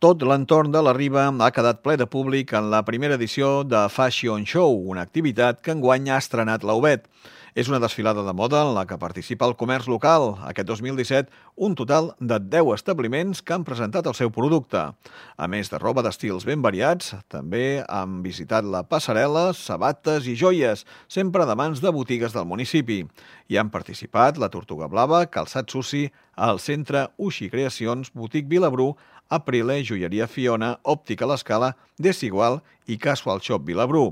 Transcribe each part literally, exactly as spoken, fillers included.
Tot l'entorn de la Riba ha quedat ple de públic en la primera edició de Fashion Show, una activitat que enguany ha estrenat l'Aubet. És una desfilada de moda en la que participa el comerç local. Aquest dos mil disset, un total de deu establiments que han presentat el seu producte. A més de roba d'estils ben variats, també han visitat la passarel·la, sabates i joies, sempre de mans de botigues del municipi. Hi han participat la Tortuga Blava, Calçat Suci, el Centre Uxi Creacions, Botic Vilabrú, Aprile, Joieria Fiona, Òptica L'Escala, Desigual i Casual Shop Vilabrú.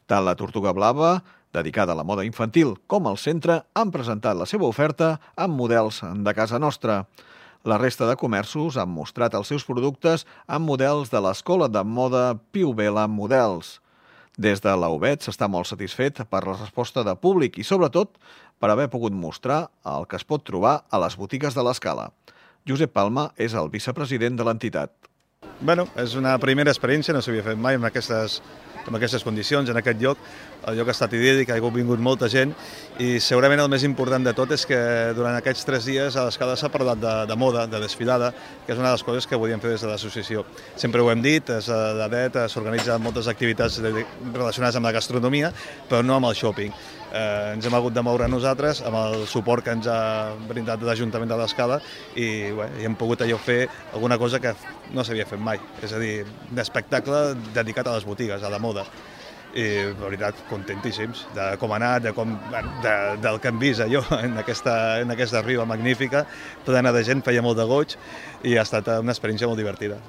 Tant la Tortuga Blava, dedicada a la moda infantil, com el centre han presentat la seva oferta amb models de casa nostra. La resta de comerços han mostrat els seus productes amb models de l'Escola de Moda Piu Vela Models. Des de l'Aubet s'està molt satisfet per la resposta de públic i, sobretot, per haver pogut mostrar el que es pot trobar a les botigues de l'Escala. Josep Palma és el vicepresident de l'entitat. Bueno, és una primera experiència, no s'havia fet mai en aquestes, en aquestes condicions, en aquest lloc. El lloc ha estat idíl·lic, ha vingut molta gent i segurament el més important de tot és que durant aquests tres dies a l'Escala s'ha parlat de, de moda, de desfilada, que és una de les coses que volíem fer des de l'associació. Sempre ho hem dit, des de l'A D E T s'organitzen moltes activitats relacionades amb la gastronomia, però no amb el shopping. Eh, ens hem hagut de moure nosaltres amb el suport que ens ha brindat l'Ajuntament de l'Escala i, bé, i hem pogut allò fer alguna cosa que no s'havia fet mai, és a dir, un espectacle dedicat a les botigues, a la moda. I, de veritat, contentíssims de com ha anat, de com, de, del que hem vist allò en aquesta, en aquesta riba magnífica, plena de gent, feia molt de goig i ha estat una experiència molt divertida.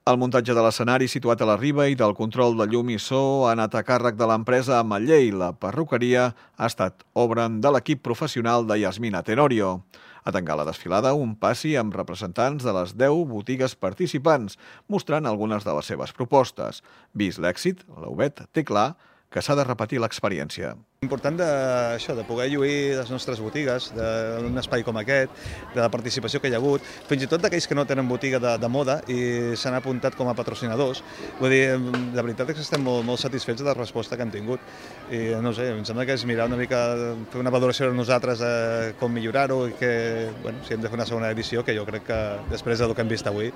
El muntatge de l'escenari situat a la Riba i del control de llum i so ha anat a càrrec de l'empresa Ametller. La perruqueria ha estat obra de l'equip professional de Yasmina Tenorio. A tancar la desfilada, un passi amb representants de les deu botigues participants, mostrant algunes de les seves propostes. Vist l'èxit, l'Aubet té clar que s'ha de repetir l'experiència. Important de, això, de poder lluir les nostres botigues, d'un espai com aquest, de la participació que hi ha hagut, fins i tot d'aquells que no tenen botiga de, de moda i s'han apuntat com a patrocinadors. Vull dir, la veritat és que estem molt, molt satisfets de la resposta que hem tingut. I no sé, em sembla que és mirar una mica, fer una valoració de nosaltres de com millorar-ho i que, bueno, si hem de fer una segona edició, que jo crec que després del que hem vist avui,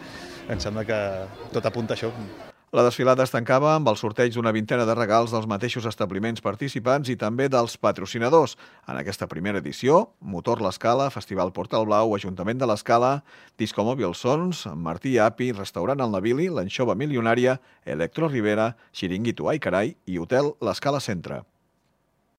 em sembla que tot apunta a això. La desfilada es tancava amb el sorteig d'una vintena de regals dels mateixos establiments participants i també dels patrocinadors. En aquesta primera edició, Motor L'Escala, Festival Portal Blau, Ajuntament de l'Escala, Discomòbil Sons, Martí Api, Restaurant El Navili, l'Anxova Milionària, Electro Rivera, Xiringuito Ai Carai i Hotel L'Escala Centre.